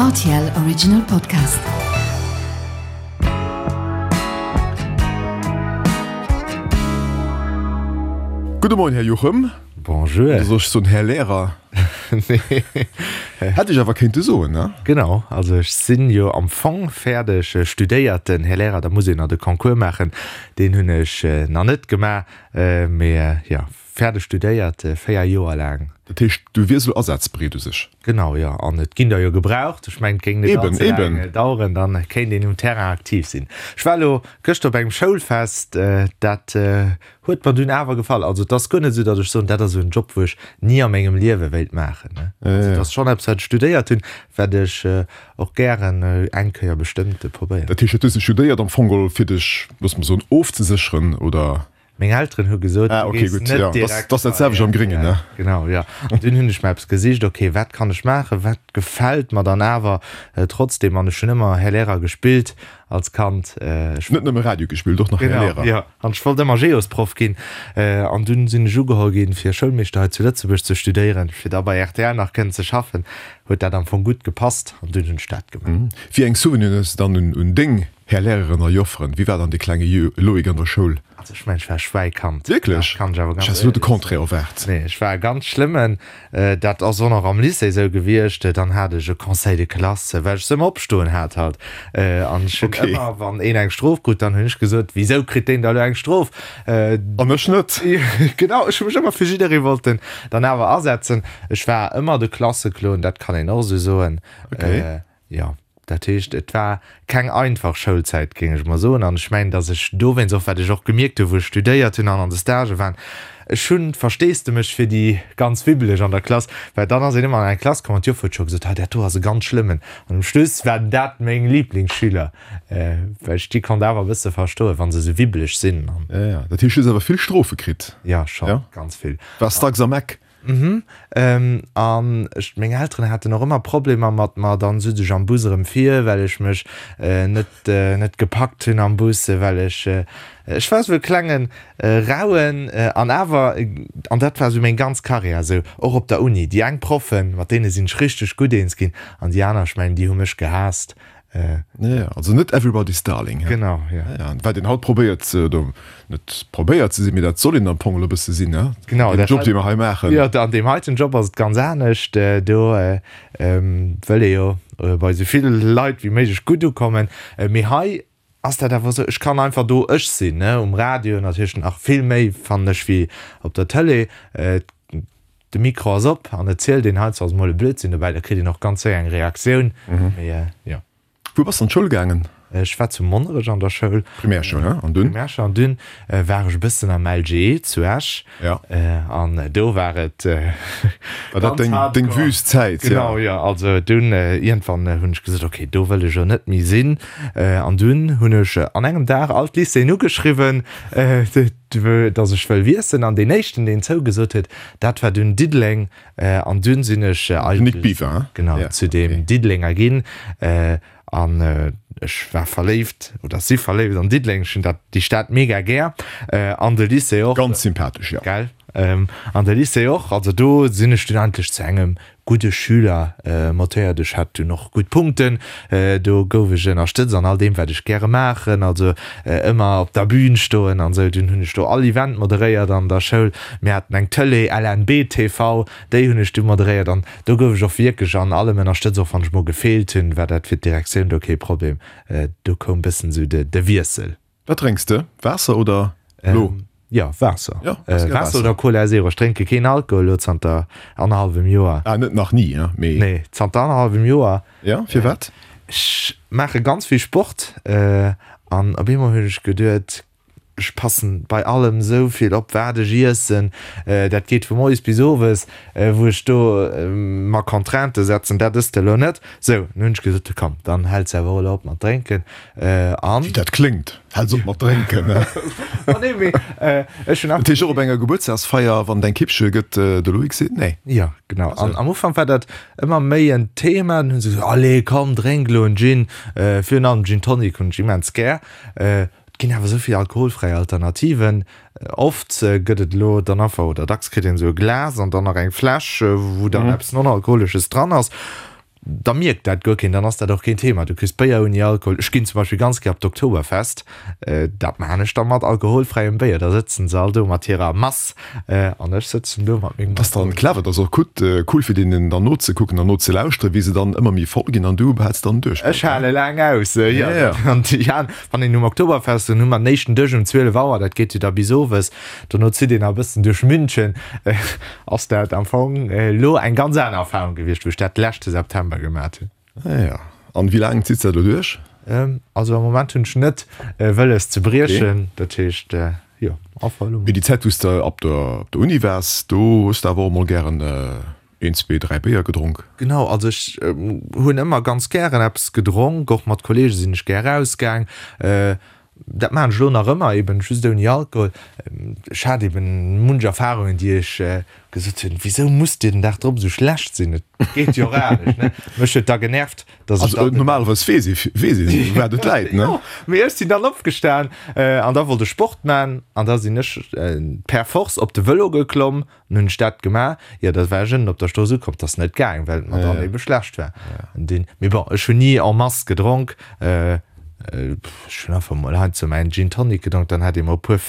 Rtl Original Podcast. Gudde Moien, Här Juchem. Bonjour. Oder soll ech soen, Här Lehrer? Nee. Hätt ech awer kéinte soen, ne? Genau, also ech sinn jo am Fong fäerdeg studéierten Här Lehrer, da muss een nach de Concours maachen, deen hunn ech nach net gemaach, mee jo, Fäerdeg studéiert, 4 Joer laang. Dat heescht, du wiers elo asazbereet u sech? Genau, jo. An et ginn der jo gebraucht. Ech mengen, et géing net Eben, allze laang eben. daueren, dann kéint een um Terrain aktiv sinn. Ech war elo gëschter op engem Schoulfest, dat huet mer dunn awer gefall. Also et ass guer net esou, datt ech soen, dat ass esou en Job, wou ech ni a mengem Liewe wéilt maachen. Also et ass schonn eppes, wat ech studéiert hunn, wat ech och gären eng Kéier bestëmmt probéieren. Dat heescht, dat hues de studéiert am Fong geholl, fir dech, looss mer soen, ofzesécheren, oder? Meng Elteren hu gesot, Ah, du okay, gees gutt, net ja. Das, direkt das dat selwecht am Gréngen, ne? Genau, ja. An dunn hunn ech mer eppes gesicht, okay, wat kann ech maachen, wat gefält mer dann awer trotzdem? An ech hunn ëmmer Här Lehrer gespillt als Kand. Ech Net nëmme Radio gespillt, och nach Här Genau, Lehrer. ja. An ech wollt ëmmer Geosproff ginn. An dunn sinn ech ugeholl ginn, fir Schoulmeeschter hei zu Lëtzebuerg ze studéieren, fir da bei rtl nach kënnen ze schaffen. Huet dat am Fong gutt gepasst an dunn hunn ech dat gemaach. Wéi eng Souveniren hues de dann un deng Här Lehreren a Jofferen, wéi war dann de klenge Loïc an der Schoul? Also ech mengen, ech war e Schwäikand. Wierklech? Dat kann ech awer Ech ganz hätt elo de éierlech soen. Contraire erwaart. Nee, ech war e ganz schlëmmen. Dat ass och nach am Lycée esou gewiescht. Dann hat ech e Conseil de classe, well ech se ëmmer opstoen hat halt. An ech hunn Okay. ëmmer, wann een eng Strof krut, dann hunn ech gesot, Wisou kritt deen da elo eng Strof? An ech net? Genau, ech hu mech ëmmer fir jidderee wollten dann awer asetzen. Ech war ëmmer de Klasseklon, dat kann een och esou soen. Okay. Jo, dat heescht, et war keng einfach Schoulzäit, géing ech mol soen. An ech mengen, datt ech dowéinst och, wat ech och gemierkt hunn, wou ech studéiert hunn an an de Stagë waren, ech hunn Versteesdemech fir déi ganz Wibbeleg an der Klass, well dann ass een ëmmer an eng Klass komm an d'Joffer huet scho gesot, ah, dat do ass e ganz schlëmmen. An um Schluss waren dat meng Liblingsschüler, well ech déi konnt awer e bësse verstoen, wa se esou wibbeleg sinn. Jo, jo, dat heescht, du hues awer vill Strofe kritt? Jo, scho ganz vill. Waars dacks am Eck? Mhm. An ech, meng Elteren haten och ëmmer Problemer mat mer. Dann sutz ech am Bus erëm vir, well ech mech net, net gepackt hunn am Bus, well ech, ech war esou e klengen Rauen. An awer, an dat war esou meng ganz Karriär esou, och op der Uni, déi eng Proffen, mat deene sinn ech richteg gutt eens ginn, an déi aner, ech mengen, déi hu mech gehaasst. Ja, also net everybody's darling. Genau, ja. Ja, wat een haut probéiert, oder net probéiert ze sinn, mee dat soll een am Fong elo e bësse sinn, ne? Genau. Deen Job, dee mer hei maachen. Jo, an deem heiten Job ass et ganz anescht. Do wëll ee jo bei esou vill Leit wéi méiglech gutt ukommen. Mee hei ass dat awer esou, ech kann einfach do ech sinn, ne? Um Radio natierlech nach vill méi, fannen ech, wéi op der Tëlee. De Mikro ass op an et zielt een heiansdo ass mol e Blödsinn dobäi, da kritt een och ganz séier eng Reaktioun. Mee jo. Wou bass de an d'Schoul gaangen? Ech war zu Monnerech an der Schoul. Primärschoul, he? An dunn? Primärschoul an dunn war ech e bëssen am LGE zu Esch. Ja. An do war et War dat deng, deng wüst Zäit? Genau, jo. Also dunn iergendwann hunn ech gesot, okay, do wëll ech elo net méi sinn. An dunn hunn ech an engem Dag all d'Lycéeën ugeschriwwen. Dass ech wëll wiesselen an deen éischten deen zougesot huet, dat war dunn Diddeleng an dunn sinn ech eigentlech genau zu deem Diddelenger ginn an ech war verléift oder si verléift an Diddeleng. Ech hunn dat déi Stad mega gär an de Lycée och. Ganz sympathesch, jo. Gell? An de Lycée och. Also do sinn ech dunn eigentlech zu engem gudde Schüler motéiert. Ech hat dunn och gutt Punkten, do gouf ech ënnerstëtzt an all deem wat ech gäre maachen, also ëmmer op der Bühn stoen an esou. Dunn hunn ech do all Event moderéiert an der Schoul. Mir haten eng Tëlee, LNB TV, déi hunn ech du moderéiert an do gouf ech och wierklech an allem ënnerstëtzt. Och wann ech mol gefeelt hunn, war dat fir d'Direktioun do kee Problem. Do koum bëssen esou de Wiessel. Wat drénks de? Waasser oder lo? Jo, Waasser. Jo, Waasser. Waasser oder Cola Zero. Ech drénke keen Alkohol elo zanter annerhallwem Joer. Ah, net nach ni, hein, mee. Nee, zanter annerhallwem Joer. Jo, firwat? Ech maache ganz vill Sport an op eemol hunn ech geduet, ech passen bei allem esou vill op, wat ech iessen. Dat geet vu moies bis owes, wou ech do mer Contraintë setzen, dat ëss de elo net. Sou, dann hunn ech gesot, komm, dann häls de awer och elo op mat drénken. An. Wéi dat kléngt, Häls op mat drénken, ne? Ma nee, mee ech hunn. Dat heescht och op enger Gebuertsdagsfeier, wann et eng Kippche gëtt, de Loïc seet nee? Jo, genau. An am Ufank war dat ëmmer méi en Thema. Dann hu se gesot, Allez, komm, drénk elo en Gin. Virun allem Gin Tonic hunn ech immens gär. Et ginn awer esou vill alkoholfräi Alternativen. Oft gëtt et elo dann einfach, oder dacks kritt een esou e Glas an dann nach eng Fläsch, wou dann eppes Non-Alkoholesches dran ass. Da mierkt dat guer keen, dann ass dat och keen Thema. Du kriss Béier ouni Alkohol. Ech ginn zum Beispill ganz gär op d'Oktoberfest, dat maachen ech da mat alkoholfräiem Béier. Da sëtzen se all do mat hirer Mass an ech sëtzen do mat mengem. Dat ass dann clever, dat ass och gutt, cool fir deenen dann nozekucken an nozelauschteren, wéi se dann ëmmer méi voll ginn an du behälls dann duerch. Ech hale laang aus, jo. An déi aner, wann een um Oktoberfest, dann hu mer den éischten Dësch um 12 Auer, dat geet jo da bis owes, Dono zitt een nach e bëssen duerch München. Ass dat am Fong elo eng ganz aner Erfahrung gewiescht, wou ech dat leschte September gemat hunn. Ah ja. An wéi laang zitts dat elo duerch? Also am Moment hunn ech net wëlles ze briechen. Dat heescht, jo, einfach elo. Mee déi Zäit wou s de op der Uni waars, do hues de awer och mol gären een, zwee, dräi Béier gedronk? Genau, also ech hunn ëmmer ganz gären eppes gedronk. Och mat Kollege sinn ech gär erausgaang. Dat maachen ech elo nach ëmmer, eben just ouni Alkohol. Ech hat eben munch Erfahrungen, déi ech gesot hunn, Wisou musst Dir den Dag drop esou schlecht sinn? Et geet jo och anescht, ne? Mech huet da genervt, dass ech dann. Also normalerweis weess ee, weess een, wat et läit, ne? Jo, mee ech sinn dann opgestan an da wollt ech Sport man an da sinn ech per force op de Vëlo geklomm An hunn ech dat gemaach, jo, da war ech ënnen op der Strooss ukomm, 't ass net gaang, well et mer dann ebe schlecht war. An dunn, mee bon, ech hunn ni en masse gedronk, ech hunn einfach mol heiansdo mäin Gin Tonic gedronk, dann hat ee mol e puer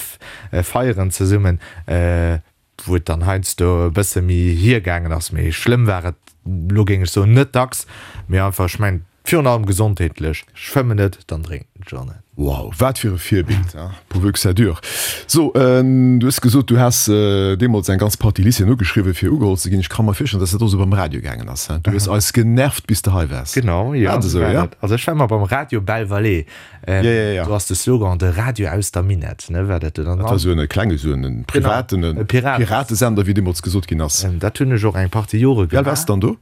Feieren zesummen, wou et dann heiansdo e bësse méi hiergaangen ass, mee schlëmm war et, elo géing ech soen, net dacks, mee einfach, ech mengen, Virun allem gesondheetlech. Ech fëmmen net, dann drénken ech och net. Wow, wat fir e Virbild, hein? Pourvu que ça dure. So, du hues gesot, du häss deemools eng ganz Partie Lycéeën ugeschriwwen, fir ugeholl ze ginn. Ech ka mer virstellen, dass dat och esou beim Radio gaangen ass, hein? Du hues eis genervt, bis de hei waars. Genau, jo, War et esou, war et. Also ech war ëmmer beim Radio Belle Vallée. Ja, ja, ja. Do ass de Slogan, de Radio aus der Minett, ne, war dat do dann. Dat war esou en klenge, esou en privaten, e Piratesender, wéi deemools gesot ginn ass. Dat hunn ech och eng Partie Jore gemaach. Wéi al waars de dann do?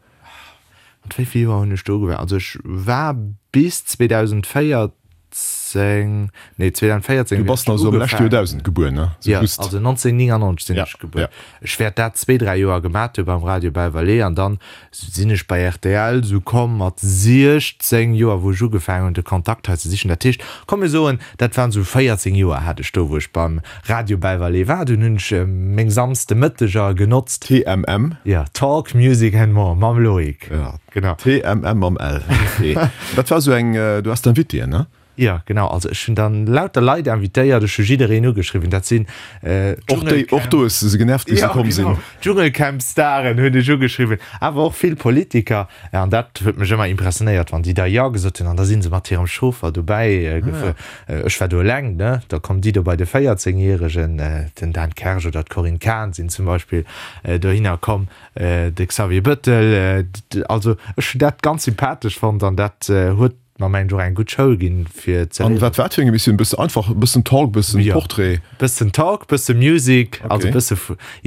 Mat wéi vill Joer hunn ech do ugefaangen? Also ech war bis 2014, nee 2014 Du bass also am leschte Joerdausend gebuer, ne? Jo, also 1999 sinn ech gebuer. Ech wäert dat zwéi, dräi Joer gemat hu beim Radio Belle Vallée an dann sinn ech bei rtl esou komm mat 16 Joer, wou ech ugefaangen hunn de Kontakt hei ze sichen. Dat heescht, komm mir soen, dat waren esou 14 Joer hat ech do, wou ech beim Radio Belle Vallée war. Dunn hunn ech meng Samsdemëtteger genotzt. TMM. Jo, Talk, Music and More mam Loïc. Jo, genau. TMM mam L. Ok. Dat war esou eng, du has d'Invitéen, ne? Jo, genau. Also ech hunn dann lauter Leit invitéiert, ech hu jiddereen ugeschriwwen. Dat sinn Och déi, och do hues de se genervt, wéi se komm sinn. Jo, genau. Dschungelcamp-Staren hunn ech ugeschriwwen, awer och vill Politiker. An dat huet mech ëmmer impressionéiert, wann déi da Jo gesot hunn an da si se mat hirem Chauffer dobäi gefuer. Ech war do eleng, ne? Da kommen déi do bei de 14 Järegen, den Dan Kersch oder d'Corinne Cahen sinn zum Beispill dohinner komm, de Xavier Bëttel. Also ech hunn dat ganz sympathesch fonnt an dat huet mer mengen ech och eng gutt Schoul ginn, fir ze An wat war dat fir eng Emissioun? Bësse einfach, e bëssen Talk, bëssen Portrait? Jo, bëssen Talk, bësse Music, also bësse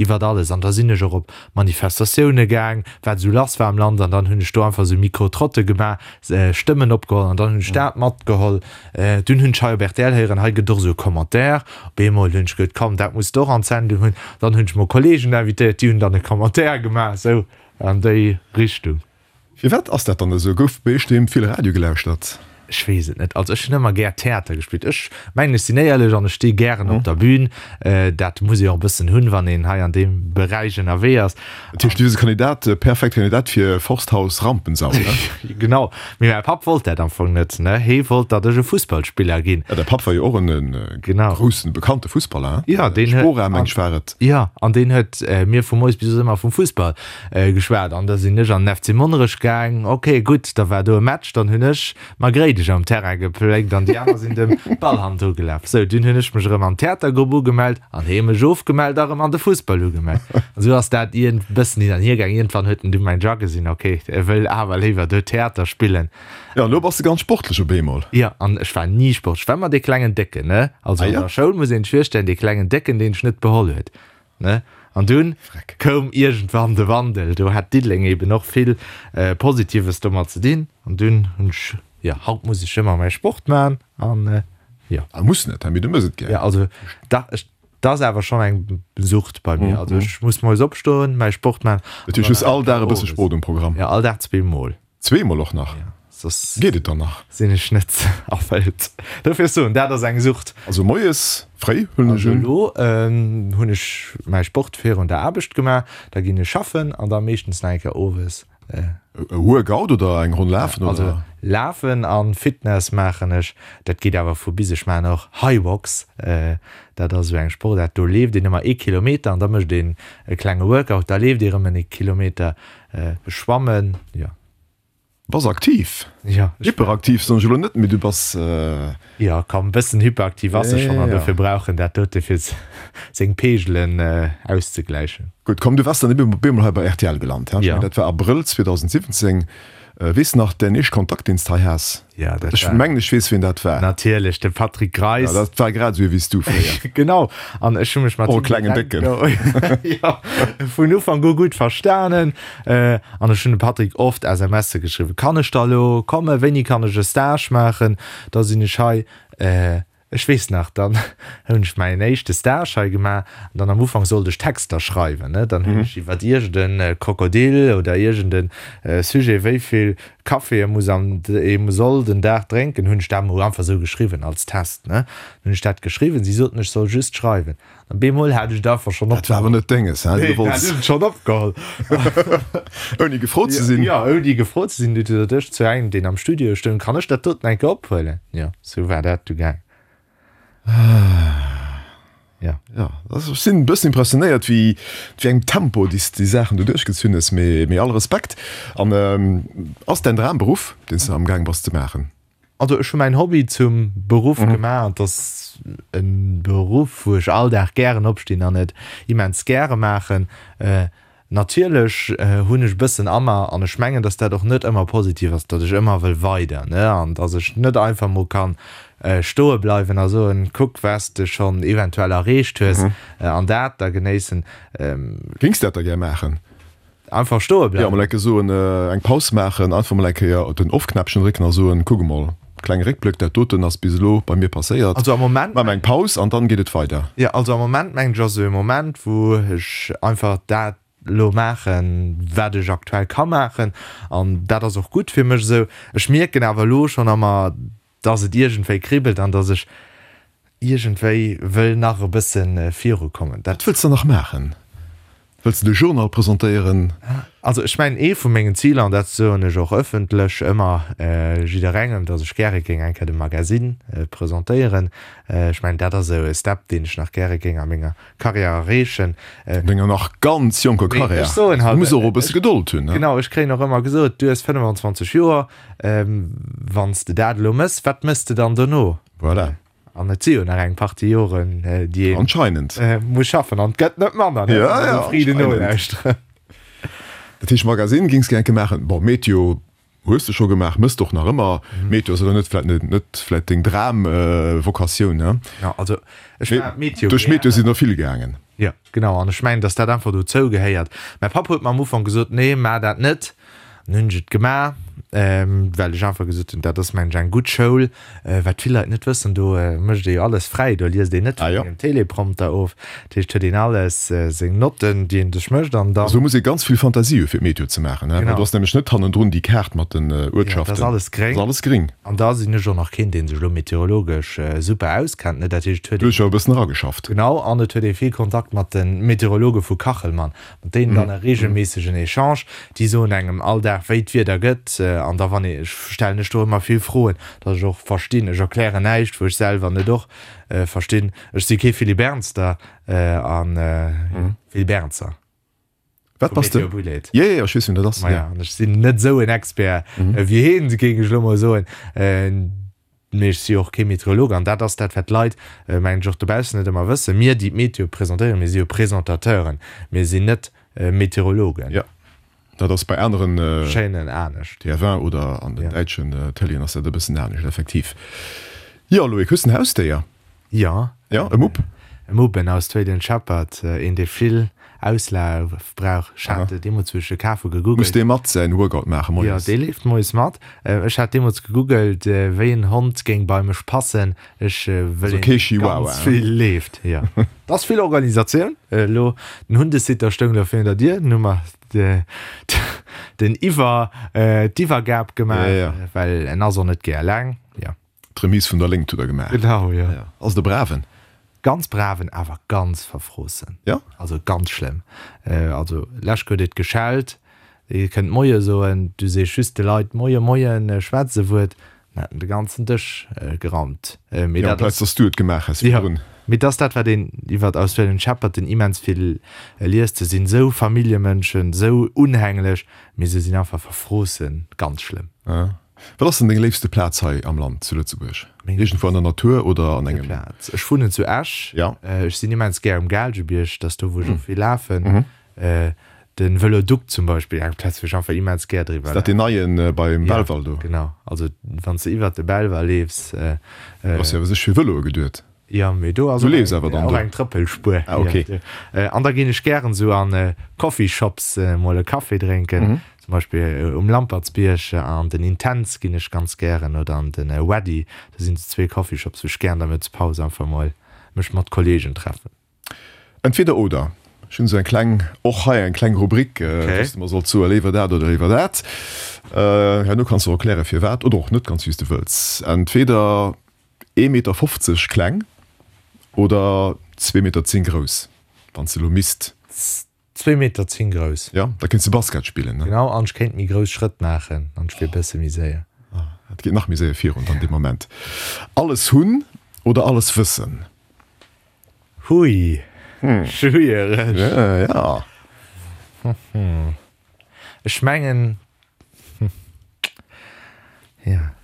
iwwert alles. An da sinn ech och op Manifestatioune gaang, wat esou lass war am Land. An dann hunn ech do einfach esou Micro-Trotte gemaach, Stëmmen opgeholl an dann hunn ech dat matgeholl. Dunn hunn ech hei op rtl héieren, hei gëtt och esou e Commentaire. Op eemol hunn ech geduet, komm, dat muss de och an d'Sendung hunn. Dann hunn ech mol Kollegen invitéiert, déi hunn dann e Commentaire gemaach, esou an déi Richtung. Firwat ass dat dann esou? Gouf bei iech doheem vill Radio gelauschtert? Ech weess et net. Also ech hunn ëmmer gär Theater gespillt. Ech mengen, ech sinn éierlech an ech sti gären op der Bühn. Dat muss ee och e bëssen hunn, wann een hei an deem Beräich ënnerwee ass. Dat heescht, du wiers e Kandidat, e perfekte Kandidat fir Forsthaus Rampensau, ne? Genau. Mee mäi Papp wollt dat am Fong net, ne? Hee wollt, datt ech e Fussballspiller ginn. Ja, däi Papp war jo och en Genau. groussen, bekannte Fussballer, hein? Ja, deen huet. Spora, meng ech, war et. Jo, an deen huet mir vu moies bis owes ëmmer vum Fussball geschwat. An da sinn ech an den FC Monnerech gaang. Ok, gutt, da war do e Match, dann hunn ech Margréidesch am Terrain gepléckt an déi aner sinn dem Ball hannendru gelaf. Sou, dunn hunn ech mech erëm an d'Theatergrupp ugemellt an hee mech ofgemellt a erëm an de Fussball ugemellt. An sou ass dat iergend bëssen hin an hier gaang. Iergendwann huet en du mäin Jack gesinn, ok, e wëll awer léiwer do Theater spillen. Jo, an elo bass de ganz sportlech op eemol. Jo, an ech war ni sportlech. Ech war ëmmer dee klengen Décken, ne? Also an der Schoul muss een sech virstellen, dee klengen Décken, deen sech net beholl huet. Ne? An dunn koum iergendwann de Wandel. Do hat Diddeleng eben och vill Positives domat ze dinn. An dunn hunn ech, jo, haut muss ech ëmmer mäi Sport maachen an jo. Ah, muss net, mee du mëss et gär. Jo, also da, ech, dat ass awer schonn eng Sucht bei mir. Also ech muss moies opstoen, mäi Sport maachen. Dat heescht, du hues all Dag e bësse Sport um Programm? Jo, all Dag zweemol. Zweemol och nach? Ja, soss Geet et dann nach? sinn ech net erfëllt. Dofir soen, dat ass eng Sucht. Also moies fréi huelen ech Also un. elo hunn ech mäi Sport virun der Aarbecht gemaach, da ginn ech schaffen an da meeschtens nach eng Kéier owes. E Workout oder eng Ronn lafen oder? Also lafen an Fitness maachen ech, dat geet awer vu bis. Ech maachen och Hyrox, dat ass esou eng Sportaart, do leeft een ëmmer ee Kilometer an da mécht een e klenge Workout, da leeft ee rëm en Kilometer. Schwammen, jo. Bass aktiv. Ja. Hyperaktiv soen ech elo net, mee du bass. Jo, komm, e bëssen hyperaktiv ass e schonn an dofir brauch en dat dote fir seng Peegelen auszegläichen. Gutt, komm, du waars dann ebe op eemol hei bei rtl gelant, he? Ech mengen, dat war Abrëll 2017. Weess de nach däin éischt Kontakt, deen s de hei has? Ja, dat Ech mengen, ech weess, wien dat war. Natierlech, de Patrick Greis. Ja, dat war grad esou ee wéi s du fréier. Genau, an ech hu mech mat him. Oh, klengen Décken. Jo, vun Ufank u gutt verstanen. An ech hunn dem Patrick oft SMSe geschriwwen, Kann ech da elo kommen? Wéini kann ech e Stage maachen? Da sinn ech hei. Ech weess nach, dann hunn ech mäin éischte Stage hei gemaach an dann am Ufank sollt ech Texter schreiwen, ne. Dann hunn ech iwwert iergend e Krokodil oder iergend e Sujet, wéi vill Café e muss am ee soll den Dag drénken, hunn ech dat mol einfach esou geschriwwen als Test, ne. Dann hunn ech dat geschriwwen, si soten, ech soll just schreiwen. An bemol hat ech et einfach schonn Dat war awer net denges, hä? Nee, dat hunn ech schonn opgeholl. Ouni gefrot ze sinn? Jo, ouni gefrot ze sinn. Du sot ech zu engem, deen am Studio stoung, Kann ech dat doten eng Kéier ophuelen? Jo, sou war dat du gaang. Ja. Ja, also ech sinn e bëssen impressionéiert, wéi wéi engem Tempo déi s déi Saachen do duerchgezunn hues, mee mee all Respekt. An ass däin Dramberuff, deen s de amgaang bass ze maachen? Also ech hu mäin Hobby zum Beruff gemaach an et ass e Beruff wou ech all Dag gären opstinn an et immens gäre maachen. Natierlech hunn ech e bëssen a mer, an ech mengen datt dat och net ëmmer positiv ass, datt ech ëmmer wëll weider, ne, an datt ech net einfach mol kann stoe bleiwen a soen, kuck wat s de schonn eventuell erreecht hues an dat da genéissen. Géings dat da gär maachen? Einfach stoe bleiwen. Jo, mol eng Kéier soen, eng Paus maachen, einfach mol eng Kéier den Off-Knäppchen drécken a soen, kuck emol, klenge Réckblëck, dat doten ass bis elo bei mir passéiert. Also am Moment. Maache mer eng Paus an dann geet et weider. Jo, also am Moment mengen ech ass esou e Moment, wou ech einfach dat elo maachen, wat ech aktuell ka maachen an dat ass och gutt fir mech esou. Ech mierken awer elo schonn a mer, dass et iergendwéi kribbelt an dass ech iergendwéi wëll nach e bësse virukommen. Dat. Wat wëlls de nach maachen? Wëlls de de Journal presentéieren? Also ech mengen, ee vu mengen Ziler, an dat soen ech och ëffentlech ëmmer jidderengem, dass ech gäre géing eng Kéier de Magasinn presentéieren. Ech mengen, dat ass esou e Step, deen ech nach gäre géing a menger Karriär erreechen. An denger nach ganz jonker Karriär. Ech soen halt. Du muss och e bësse Gedold hunn, ne? Genau, ech kréien och ëmmer gesot, du hues 25 Joer, wann s de dat elo mëss, wat mëss de dann dono? Voilà. An et si jo nach eng Partie Joren, déi ee Anscheinend. muss schaffen. An et gëtt net manner, ne? Ja, ja, Friden nolauschteren. Dat heescht, Magasinn géings gär enke maachen. Bon, Meteo Hues de scho gemaach, mëss de och nach ëmmer. Meteo ass elo net vläit net vläit deng Dram-Vocatioun, ne? Jo, also ech war Meteo Duerch Meteo sinn der vill gaangen. Jo, genau, an ech mengen, datt dat einfach dozou gehéiert. Mäi Papp huet mer am Ufank gesot, nee, maach dat net. An hunn ech et gemaach, well ech einfach gesot hunn, dat ass mengen ech eng gutt Schoul. Wat vill Leit net wëssen, do mécht ee jo alles fräi, do liest een net vun engem Teleprompter of. Dat heescht, huet een alles seng Notten, déi een sech mécht an dann. Also muss ee ganz vill Fantasie hu fir d'Meteo ze maachen, he? Well do ass nämlech net hannendrun déi Kaart mat den Uertschaften. Dat ass alles gréng. Dat ass alles gréng. An da sinn ech och nach keen, dee sech elo meteorologesch super auskennt, ne? Dat heescht, et huet een. Du hues jo e bëssen erageschafft. Genau, an et huet ee vill Kontakt mat de Meteorologe vu Kachelmann. Mat deenen dann e reegelméissegen Echange. Déi soen engem all Dag, wéi d'Wieder gëtt. An da wann ee, ech stellen ech do ëmmer vill Froen, datt ech och verstinn. Ech erklären näischt, wou ech selwer net och verstinn. Ech si kee Philippe Ernster a Philippe Ernzer. Wat bass de? Jo, jo, ech weess, wien dat ass. Maja, an ech sinn net esou en Expert wéi hien, géing ech elo mol soen. Mee ech si jo och kee Meteorolog an dat ass dat, wat d'Leit, mengen ech, och dobaussen net ëmmer wëssen. Mir, déi d'Meteo presentéieren, mir si jo Presentateuren, mir sinn net Meteorologen. Jo, dat ass bei aneren Chaînen anescht. TF1 oder an den däitschen Tëleeën ass dat e bëssen anescht, effektiv. Jo, Loïc, hues de en Hausdéier? Jo. Jo, e Mupp? E Mupp, en Australian Shepherd, een dee vill Auslaf brauch. Ech hat deemools, wou ech e kaf hu, gegoogelt. Muss dee mat säin Workout maachen moies? Jo, dee leeft moies mat. Ech hat deemools gegoogelt, wéi en Hond géing bei mech passen. Ech wëll een, dee ganz vill leeft. Jo, et ass vill Organisatioun elo. Den Hundesitter stoung elo virun der Dier, dunn hu mer den Iwwer, d'Iwwergab gemaach, well en ass och net gär eleng. Jo. D'Remise vun der Léngt hutt der gemaach. Genau, jo. Ass et e braven? Ganz braven, awer ganz verfroossen. Jo? Also ganz schlëmm. Also lech huet et geschellt. Dir kënnt Moie soen, du sees just de Leit Moie, Moien, schwätz e Wuert, dann hätt en de ganzen Dësch geraumt. Mee dat ass. Amplaz dass du et gemaach häss virdrun. Jo, mee et ass dat, wat een iwwer Australian Shepherden immens vill liest, Se sinn esou Familljemënschen, esou unhänglech, mee se sinn einfach verfroossen, ganz schlëmm. Wat ass denn deng léifste Plaz hei am Land, zu Lëtzebuerg? Iergendwou an der Natur oder an engem. Plaz? Ech wunnen zu Esch. Jo. Ech sinn immens gär um Gaalgebierg, dat ass do, wou ech och vill lafen. Den Vëlodukt zum Beispill, eng Plaz wou ech einfach immens gär driwwer Ass dat deen neien beim Belval do? Ja, genau. Also wann s de iwwert de Belval leefs. Do ass jo awer sech fir Vëloe geduet. Jo, mee do ass Du leefs awer dann do? Och eng Trëppelspuer. Ah, ok. An da ginn ech gären esou an Coffeeshops mol e Café drénken. Zum Beispill um Lampertsbierg an den Intense ginn ech ganz gären oder an den Weddy. Do sinn esou zwee Coffeeshops wou ech gären der Mëttespaus einfach mol mech mat Kollegen treffen. Entweder oder. Ech hunn esou eng kleng, och hei eng kleng Rubrik, wou s de mer solls soe léiwer dat oder léiwer dat. Herno kanns de och erkläre firwat oder och net, ganz wéi s de wëlls. Entweder ee Meter 50 kleng oder zwee Meter 10 grouss, wann s de elo misst. Zwee Meter 10 grouss. Jo, da kéints de Basket spillen, ne? Genau, an ech kéint méi grouss Schrëtt maachen an ech wier bësse méi séier. Et geet nach méi séier virun dann dee Moment. Alles hunn oder alles wëssen? Hui, schwiereg. Ja. Ech mengen, ja,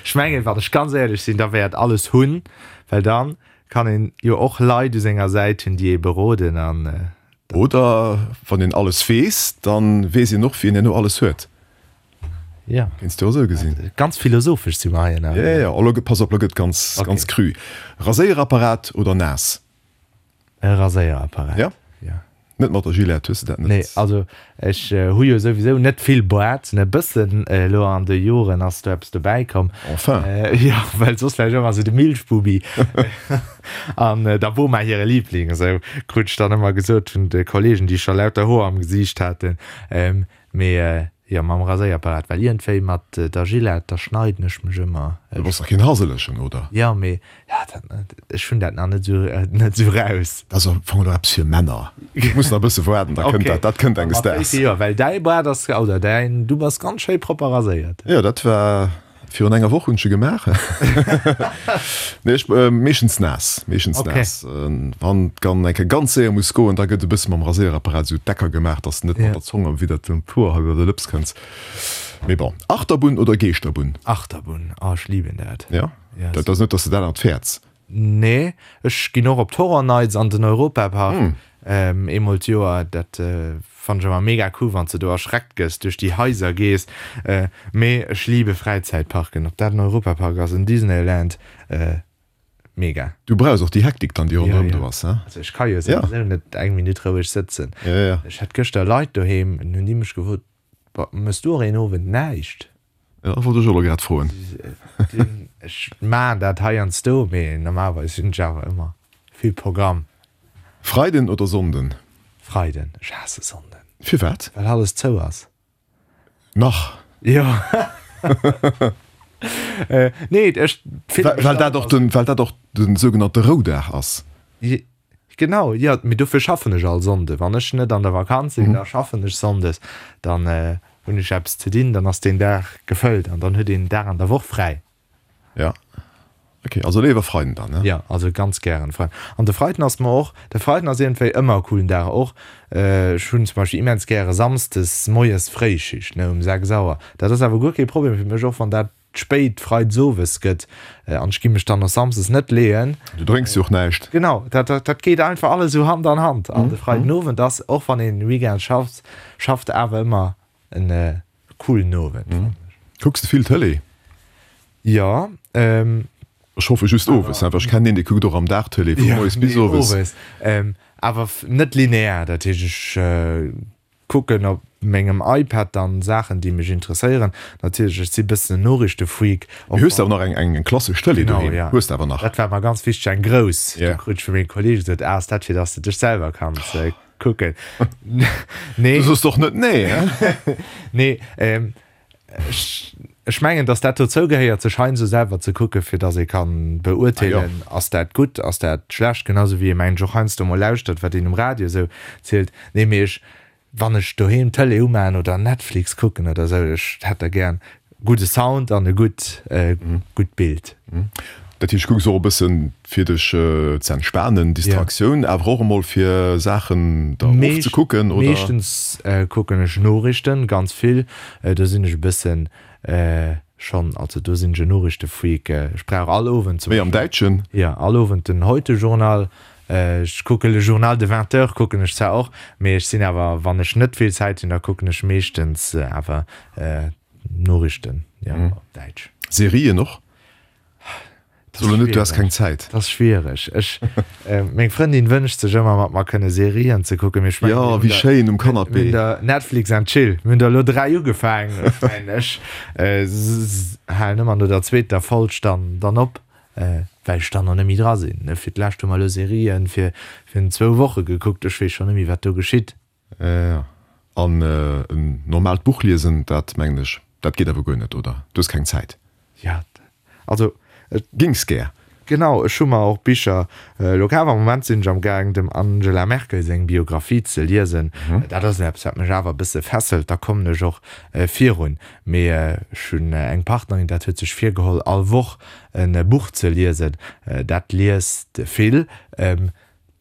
ech mengen, wann ech ganz éierlech sinn, da wär et alles hunn, well dann kann een jo och Leit u senger Säit hunn, déi ee beroden an. Oder wann een alles weess, dann weess een och, wien herno alles huet. Ja. Kéints du och esou gesinn. Ganz philosophesch si mer hei ënnerwee. Ja, ja, elo gëtt, pass op, elo gëtt ganz, okay. ganz cru. Raséierapparat oder naass? E Raséierapparat. Ja? Ja. Net mat der Gillette, hues de dat net? Nee, also ech hu jo souwisou net vill Boart, ne, bëssen elo an de Joren ass do eppes dobäi komm. Enfin. Jo, well soss war ech ëmmer esou de Milchbubi. An der Boma hire Liebling, esou krut ech dann ëmmer gesot vun de Kollegen, déi scho lauter Hoer am Gesiicht haten. Mee jo, mam Raséierapparat, well iergendwéi mat der Gillette, da schneiden ech mech ëmmer. Du bass dach keen Haselechen, oder? Jo, mee ja, dat, ech hunn dat nach net esou, net esou raus. Dat ass am Fong elo eppes fir Männer. Du muss nach e bësse waarden, da kënnt dat, dat kënnt enges Daags. Jo, well däi Baart ass, oder däin, du bass ganz schéi propper raséiert. Jo, dat war Virun enger Woch hunn ech e gemaach. Nee, ech meeschtens naass, meeschtens naass. Wann et dann eng Kéier ganz séier muss goen, da gëtt e bësse mam Raséierapparat esou d'Ecker gemaach, dass de net mat der Zong am widder dem Poer hei iwwer de Lëps kënns. Mee bon. Achterbunn oder Geeschterbunn? Achterbunn, oh ech liben dat. Ja? Dat ass net, dass de dat an fäerts? Nee, ech ginn och op d'Horror Nights an den Europapark eemol d'Joer. Dat fannen ech ëmmer mega cool, wann s de do erschreckt gëss, duerch déi Haiser gees. Mee ech liebe Fräizäitparken, ob dat en Europapark ass, en Disneyland, mega. Du brauchs och déi Hektik dann, déi ronderëm do ass, he? Also ech ka jo souwisou net eng Minutt roueg sëtzen. Ech hat gëschter Leit doheem, hunn déi mech gefrot, Mëss du och een Owend näischt? Ja, wollt ech och elo grad froen. Ech maan dat heiansdo, mee normalerweis hunn ech awer ëmmer vill Programm. Freiden oder Sonnden? Freiden. Ech haasse Sonnden. Firwat? Well alles zou ass. Nach? Jo. Nee, ech fillen mech Well dat och den, well dat och den sougenannte Roudag ass. Genau, jo, mee dofir schaffen ech all Sonnde. Wann ech net an der Vakanz sinn, da schaffen ech sonndes. Dann hunn ech eppes ze dinn, dann ass deen Dag gefëllt an dann huet een en Dag an der Woch fräi. Ja, ok, also léiwer Freiden dann, ne? Jo, also ganz gären Freiden. An de Freiden ass mer och, de Freiden ass iergendwéi ëmmer e coolen Dag och. Ech hunn zum Beispill immens gäre samsdes moies Fréischicht, ne, um 6 Auer. Dat ass awer guer kee Problem fir mech, och wann dat spéit freides owes gëtt an ech gi mech dann och samsdes net leeën. Du drénks jo och näischt. Genau, dat dat geet einfach alles esou Hand an Hand an de Freiden Owend ass, och wann een Weekend schafft, schafft awer ëmmer en coolen Owend fannen ech. Kucks de vill Tëlee? Jo. Ech hoffe just owes, well ech kennen een dee kuckt och am Dag Tëlee vu moies bis owes. Owes, awer net linear, dat heescht ech Kucken op mengem iPad dann Saachen déi mech interesséieren. Natierlech, ech si bëssen en Noriichtefreak. Mee hues de awer nach eng eng klassesch Tëlee Genau, doheem? ja. Hues de awer nach? Dat war mer ganz wichteg, eng grouss. Do krut ech vu menge Kollege gesot, ah, ass dat fir dass de dech selwer kanns kucken. Nee. Du soos och net nee, hein? Nee, ech ech mengen, dass dat dozou gehéiert, sech heiansdo selwer ze kucken, fir dass ee kann beurteelen, ass dat gutt, ass dat schlecht, genau sou wéi ee mengen ech och heiansdo mol lauschtert, wat een um Radio esou zielt. Nee, mee ech. Wann ech doheem d'Tëlee umaan oder Netflix kucken oder sou, ech hätt da gären gudde Sound an e gutt gutt Bild. Dat heescht, kucks och e bëssen fir dech ze entspanen, Distraktioun, awer och emol fir Saachen der ofzekucken, oder? Meeschtens kucken ech Noriichten, ganz vill. Do sinn ech e bëssen schonn, also do sinn ech e Noriichtefreak. Ech brauch all Owend zum Méi am Däitschen? Jo, all Owend den Heute-Journal. Ech kucke Le Journal de 20 heures kucken ech zwar och, mee ech sinn awer, wann ech net vill Zäit hunn, da kucken ech meeschtens awer d'Noriichten, jo, op Däitsch. Serien och? So elo net, du häss keng Zäit. Dat ass schwiereg. Ech, meng Frëndin wënscht sech ëmmer mat mer kënne Serien ze kucken, mee ech mengen, Jo, wéi schéin um Canapé. Mir hunn der Netflix and Chill, mir hunn der elo 3 ugefaangen, ech mengen, ech halen ëmmer no der zweeter Folg dann dann op. Well ech dann och net méi dra sinn. Fir d'lescht hu mer elo Serien fir virun zwou Woche gekuckt, ech weess schonn net méi wat do geschitt. Jo, an en normaalt Buch liesen, dat mengen ech, dat geet awer guer net, oder? Du hues keng Zäit. Jo, also ech. Gings gär. Genau, ech hu mer och Bicher elo kaf. Am Moment sinn ech am gaang dem Angela Merkel seng Biographie ze liesen. Dat ass eppes wat mech awer e bësse fesselt, da kommen ech och virun. Mee ech hunn eng Partnerin, dat huet sech virgeholl all Woch e Buch ze liesen. Dat liest vill.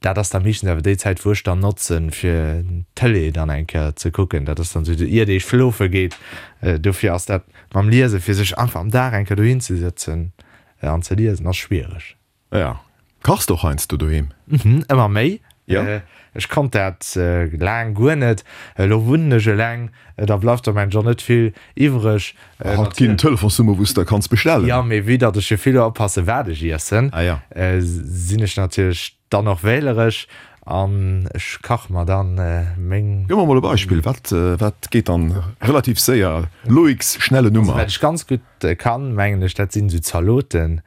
Dat ass da meeschtens awer déi Zäit, wou ech dann notzen, fir d'Tëlee dann eng Kéier ze kucken. Dat ass dann esou, iert ee schlofe geet. Dofir ass dat mam Liesen, fir sech einfach am Dag eng Kéier dohin ze sëtzen an ze liesen, ass schwiereg. Ja. Kachs de och heiansdo doheem? Mhm, ëmmer méi. Ja. Ech konnt dat laang guer net. Elo wunnen ech eleng, da bleift der mensch och net vill iwwreg. Haut ginn Telefonsnummer wou s de kanns bestellen. Jo, mee vue datt ech jo vill oppasse wat ech iessen, Ah ja. sinn ech natierlech dann och wähleresch an ech kach mer dann meng. Gëff mer mol e Beispill, wat wat geet dann relativ séier? Loïcs schnelle Nummer. Also wat ech ganz gutt kann, mengen ech, dat sinn esou Zaloten.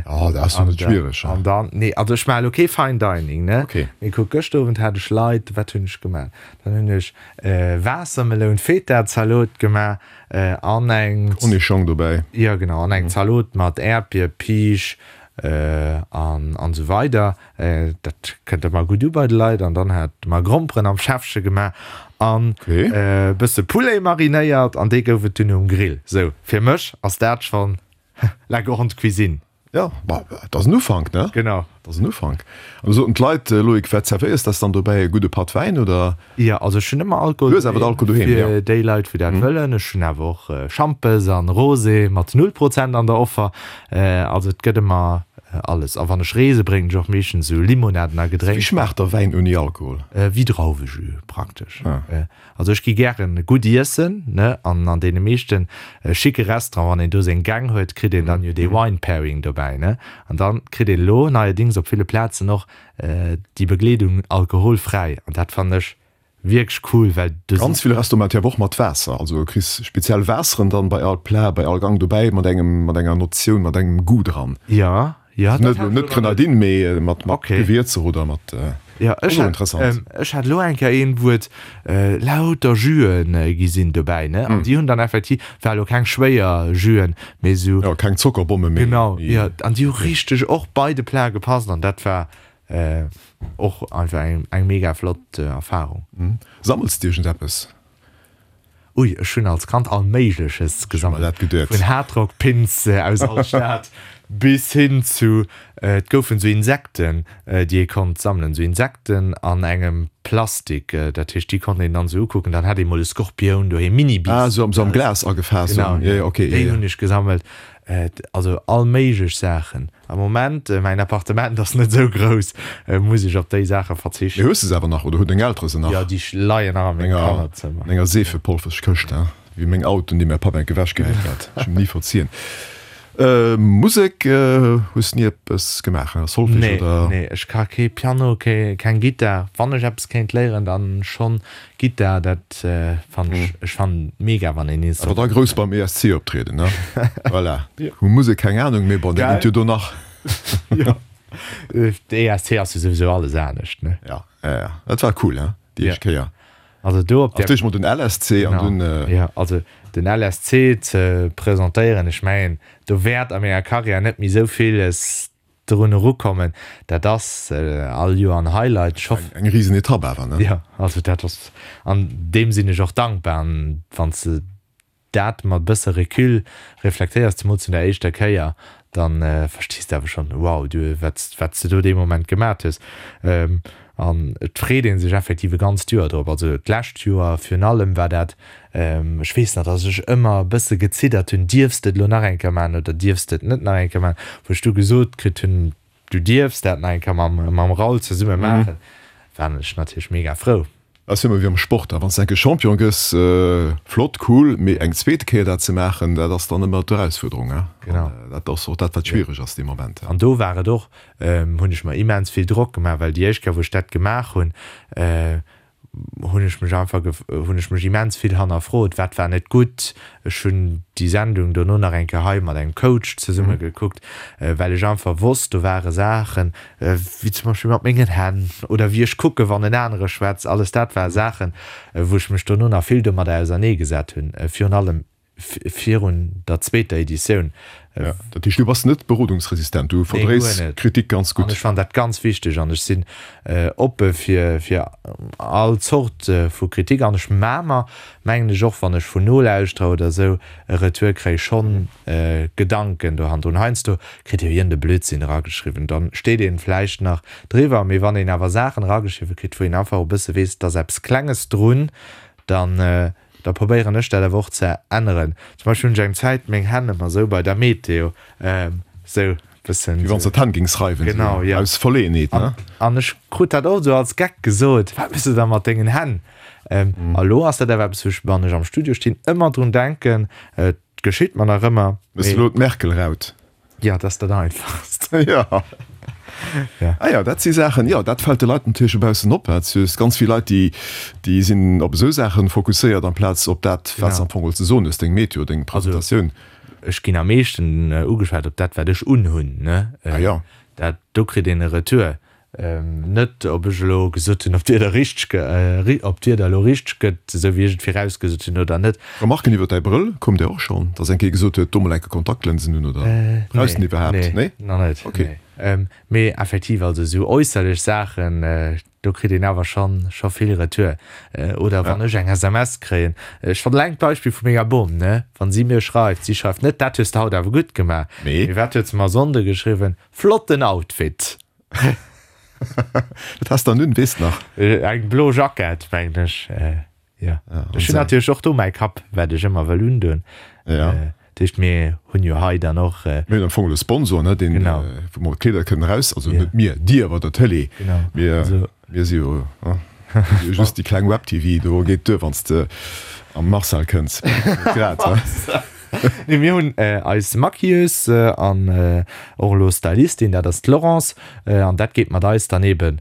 Oh, dat ass jo net schwiereg. An dann, nee, also ech maache lo kee Fine Dining, ne? Okay. Mee kuck, gëschter Owend hat ech Leit, wat hunn ech gemaach? Dann hunn ech Waassermeloun-Feta-Zalot gemaach an eng. Cornichong dobäi. Jo, genau, an eng Zalot mat Äerdbier, Piisch an an esou weider. Dat kënnt ëmmer gutt u bei de Leit. An dann hat mer Gromperen am Schäffche gemaach an e bësse Poulet marinéiert an dee gouf et dunn um Grill. Sou, fir mech ass dat schonn La grande cuisine. Jo, ma et ass en Ufank, ne? Genau. Et ass en Ufank. An du soten d'Leit, Loïc, wat zerwéiers d'ess dann dobäi? E gudde Patt Wäin, oder? Jo, also ech hunn ëmmer Alkohol Du hues awer Alkohol doheem, jo. Fir déi Leit, wou dat wëllen. Ech hunn awer och Schampes an Rosé mat null Prozent an der Offer. Also et gëtt ëmmer alles. A wann ech reese bréngen ech och meeschtens esou Limonaden a Gedrénks. Wéi schmaacht da Wäin ouni Alkohol? Wéi Drauwejus praktesch. Also ech gi gären gutt iessen, ne, an an deene meeschten schicke Restaurant, wann een do seng Gäng huet, kritt een dann jo dee Wine Pairing dobäi, ne, an dann kritt een elo neierdings op ville Plazen och déi Begleedung alkoholfräi, an dat fannen ech wierklech cool, well do sinn. Ganz vill Restaurante awer och mat Waasser, also du kriss speziell Waasseren dann bei all Plat, bei all Gang dobäi mat engem, mat enger Notioun, mat engem Goût dran. Jo, Ja, dat hat net Grenadine, mee mat mat okay. Gewierzer oder mat. Äh, ja, ech hat, interessant. Ähm, ech hat lo eng Kéier een, wou et äh, lauter Juen äh, gi sinn dobäi, ne? An mm. déi hunn dann effektiv, war lo keng schwéier Juen, mee sou. Ja, keng Zockerbomme méi. Genau, ja, an déi hu richteg och bei de Plat gepasst an dat war äh, och einfach eng, eng mega flott äh, Erfahrung. Mm. Sammels de iergendeppes? Ui, ech hunn als Kand all Méigleches gesammelt, vun Hardrock-Pins aus all Stad bis hin zu, et goufen esou Insekten, déi ee konnt sammelen, esou Insekten an engem Plastik, dat heescht, déi konnt een dann esou ukucken, dann hat ee mol e Skorpioun doheem, Mini-Biiss. Ah, esou am Glas agefaasst, genau, déi hunn ech gesammelt. Also all méiglech Saachen. Am Moment, mäin Appartement ass net esou grouss, muss ech op déi Saache verzichten. Mee hues de se awer nach oder hunn deng Eltere se nach? Jo, déi leien nach a mengem Kannerzëmmer. An enger Seefepolferskëscht, hein? Wéi meng Autoen, déi mäi Papp enk ewechgehäit hat. Ech hunn ni verzien. Musek hues ni eppes gemaach, hein? Solfège oder? Nee, ech ka kee Piano, keng Gittar. Wann ech eppes kéint léieren, dann schonn Gittar, dat fannen ech, ech fannen mega wann een Instrument. Awer da grouss beim ESC optrieden, ne? Voilà. Vu Musek keng Ahnung, mee bon, dat geet jo do nach. Jo, de ESC ass jo souwisou alles anescht, ne? Ja, ja, ja, dat war cool, hein, déi éischt Kéier. Also do op der. D'éischt mol den LSC an dunn. Jo, also den LSC ze presentéieren, ech mengen, do wäert a menger Karriär net méi esou villes. drun erukommen, dat ass all Joer en Highlight. Ech hoff. Eng risen Etapp awer, ne? Jo, also dat ass, an deem sinn ech och dankbar. An wann s de dat mat e bësse Recul reflektéiers, zemools vun der éischter Kéier, da verstees de awer schonn, wow, du, wat wat s de do dee Moment gemat hues. An et freet ee sech effektiv e ganzt Joer drop. Also d'lescht Joer virun allem war dat, ech weess nach, datt ech ëmmer e bësse geziddert hunn, dierfs de et elo nach eng Kéier maachen oder dierfs de et net nach eng Kéier maachen, wou ech du gesot kritt hunn, du dierfs dat nach eng Kéier mam mam Raoul zesumme maachen, war ech natierlech mega frou. Ass jo ëmmer wéi am Sport, wann s de eng Kéier Champion gëss, flott, cool, mee eng zweet Kéier dat ze maachen, dat ass dann ëmmer d'Erausfuerderung. Genau. An dat ass och dat, wat schwiereg ass dee Moment. An do war et och, hunn ech mer immens vill Drock gemaach, well déi éischt Kéier, wou ech dat gemaach hunn, hunn ech mech einfach, hunn ech mech immens vill hannerfrot, wat war net gutt. Ech hunn déi Sendung dono nach eng Kéier hei mat engem Coach zesumme gekuckt, well ech einfach wosst, do ware Saachen, wéi zum Beispill mat mengen Hänn oder wéi ech kucke wann en anere schwätzt, alles dat ware Saachen, wou ech mech dono nach vill domadder auserneegesat hunn, virun allem virun der zweeter Editioun. Ja, dat heescht, du bass net berodungsresistent, du verdréis Kritik ganz gutt. An ech fannen dat ganz wichteg an ech sinn oppe fir fir all Zort vu Kritik an ech maa mer, mengen ech, och wann ech vun Nolauschterer oder esou e Retour kréien, schonn Gedanken do hannendrun. Heiansdo kritt ee jo iergend e Blödsinn erageschriwwen, dann steet een vläicht nach driwwer, mee wann een awer Saachen erageschriwwe kritt, wou een einfach e bësse weess, et ass eppes Klenges drun, dann da probéieren ech dat awer och ze änneren. Zum Beispill hunn ech eng Zäit meng Hänn ëmmer esou bei der Meteo esou bëssen. Wéi wann s de d'Hänn géings reiwen, Genau, jo. Aus Verleeënheet, ne? An ech krut dat oft esou als Geck gesot, Wat méchs de da mat dengen Hänn? A lo ass dat awer eppes, wou ech, wann ech am Studio stinn, ëmmer drun denken. Et geschitt mer nach ëmmer. Méchs de elo d'Merkel-Raut? Jo, dat ass dat Einfachst. Jo. Ja. Ah jo, dat si Saachen, jo, dat fält de Leit natierlech dobaussen op. Et si ganz vill Leit, déi, déi sinn op esou Saache fokusséiert, amplaz op dat, wat s de am Fong ze soen hues, deng Meteo, deng Presentatioun. Also, ech ginn am meeschten ugeschwat op dat, wat ech unhunn, ne? Ah jo. Dat, do kritt een e Retour. Net ob ech elo gesot hunn, ob d'Wieder richteg, ob d'Wieder elo richteg gëtt, esou wéi ech et virausgesot hunn oder net. Remarken iwwer däi Brëll koum der och schonn, dass eng Kéier gesot huet, do mol enke Kontaktlënsen un oder brauchs de en iwwerhaapt? Nee, nach net. Ok. Mee effektiv, also esou äusserlech Saachen, do kritt een awer schonn scho vill Retour. Oder wann ech eng SMS kréien, ech fannen eleng d'Beispill vu menger Bom, ne, wann si mir schreift, si schreift net, dat hues de haut awer gutt gemaach, mee wat huet se mer e Sonnde geschriwwen, flotten Outfit. Wat has dann un, weess nach? Eng blo Jackett, mengen ech. Jo. Ech hunn natierlech och do mäi Kapp, wat ech ëmmer wëll undoen. Ja. Dat heescht, mir hunn jo hei dann och. Mir hunn am Fong e Sponsor, ne, deen, wou mer d'Kleeder kënnen eraus, also net mir, dir bei der Tëlee. Genau. Mir, mir si jo just déi kleng Web-TV, do geet duer, wann s de am Marcel kënns. Grad, he? Nee, mir hunn eis Maquilleuse an och elo Stylistin, dat ass d'Laurence, an dat geet mat eis dann eben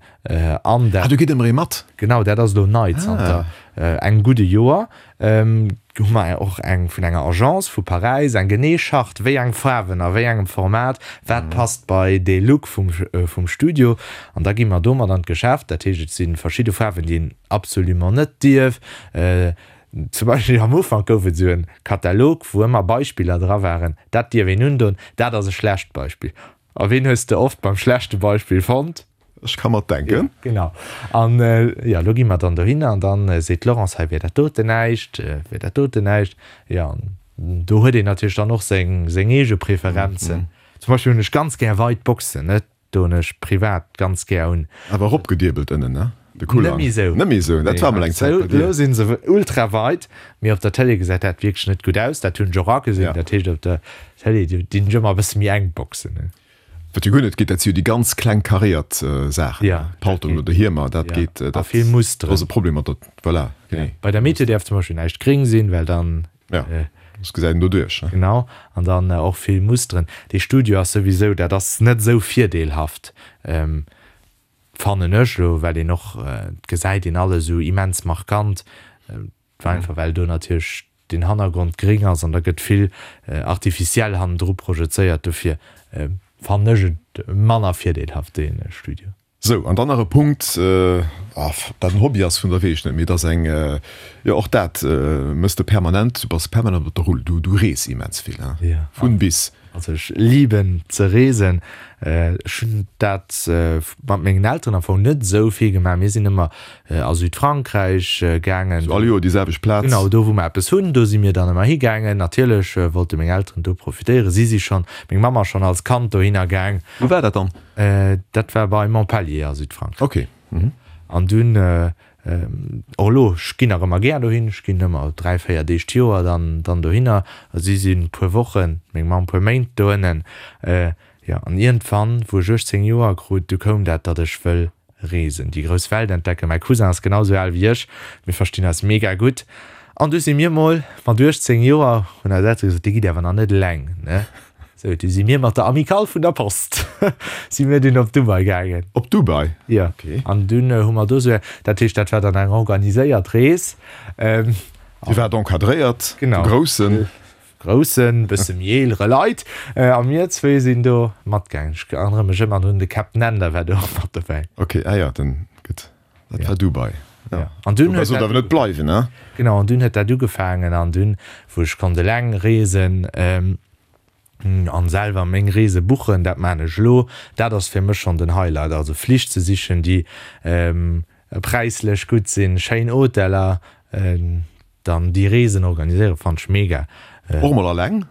an dat. Ah, do geet ëmmer ee mat? Genau, dat ass elo nei zanter engem gudde Joer. Hu mer och eng vun enger Agence vu Paräis, eng genee Charte, wéi eng Faarwen a wéi engem Format, wat passt bei dee Look vum vum Studio. An da gi mer domat an d'Geschäft. Dat heescht, et si verschidde Faarwen, déi een absolument net dierf. Zum Beispill am Ufank gouf et esou e Katalog, wou ëmmer Beispiller dra waren, dat dierf een undoen, dat ass e schlecht Beispill. A ween hues de oft beim schlechte Beispill fonnt? Ech ka mer et denken. Ja, genau. An jo, elo gi mer dann dohinner an dann seet d'Laurence, hei wier dat doten näischt, wier dat doten näischt. Jo, an do huet een natierlech dann och seng, seng eege Preferenzen. Zum Beispill hunn ech ganz gär weit Boxen, net? Doen ech privat ganz gär un. Awer eropgediebelt ënnen, ne? De Kulang. Net méi sou. Net méi sou, dat war mol eng Zäit bei dir. Elo sinn se ultra weit, mee op der Télé gesäit dat wierklech net gutt aus. Dat hunn ech och agesinn. Dat heescht op der Télé dinn ech ëmmer e bësse méi enk Boxen. Wat jo guer net geet, dat si jo déi ganz kleng karéiert Saachen, ne? Paltong oder Hiemer, dat geet, dat A vill Musteren. ass e Problem mat der, voilà, genee. Bei der Meteo däerf zum Beispill näischt gréng sinn, well dann. Ja, soss gesäit een doduerch, ne? Genau, an dann och vill Musteren. Dee Studio ass souwisou, dat ass net esou virdeelhaft, fannen ech elo, well een och, et gesäit een alles esou immens markant, einfach well do natierlech den Hannergrond gréng ass an da gëtt vill artificiel hannendru projezéiert. Dofir fannen ech et manner virdeelhaft, dee Studio. Sou, an dann nach e Punkt. Ob dat en Hobby ass, vun der weess ech net, mee et ass eng, jo och dat mëss de permanent, du bass permanent op der Rull, du du rees immens vill, hein, vun bis. Also ech liben ze reesen. Ech hunn dat mat mengen Elteren am Fong net esou vill gemaach. Mir sinn ëmmer a Südfrankräich gaangen. Sou all Joer déi selwecht Plaz? Genau, do wou mer eppes hunn, do si mir dann ëmmer higaangen. Natierlech wollte meng Elteren do profitéieren. Si si schonn, meng Mamm ass schonn als Kand dohinner gaang. Wou war dat dann? Dat war bei Montpellier a Südfrankräich. Ok. An dunn, och elo, ech ginn nach ëmmer gär dohin, ech ginn ëmmer 3, 4 Deeg d'Joer dann dann dohinner. Si sinn e puer Wochen, meng Mamm e puer Méint doënnen. Jo, an iergendwann, wou ech 18 Joer krut, du koum dat, datt ech wëll reesen, déi grouss Welt entdecken. Mäi Cousin ass genau sou al wéi ech, mir verstinn eis mega gutt. An du si mir mol mat 18 Joer, hunn eis Eltere gesot, Dir gitt awer nach net eleng, ne? Sou, du si mir mat der Amicale vun der Post si mir dunn op Dubai gaangen. Op Dubai? Jo. Okay. An dunn hu mer do sou, dat heescht, dat war dann eng organiséiert Rees. Dir waart encadréiert, Genau. de Groussen. Groussen, bësse méi eelere Leit. A mir zwee sinn do matgaangen. Ech erënnere mech ëmmer drun, de Captain Ender war do och mat dobäi. Okay, ah jo, den, gutt. Dat war Dubai. Ja. An dunn Dubai sollt awer net bleiwen, ne? Genau, an dunn huet dat ugefaangen an dunn, wou ech konnt eleng reesen an selwer meng Reese buchen, dat maan ech elo, dat ass fir mech schonn den Highlight, also Flich ze sichen, déi präislech gutt sinn, schéin Hoteller, dann déi Reesen organiséieren, fannen ech mega. Och mol alleng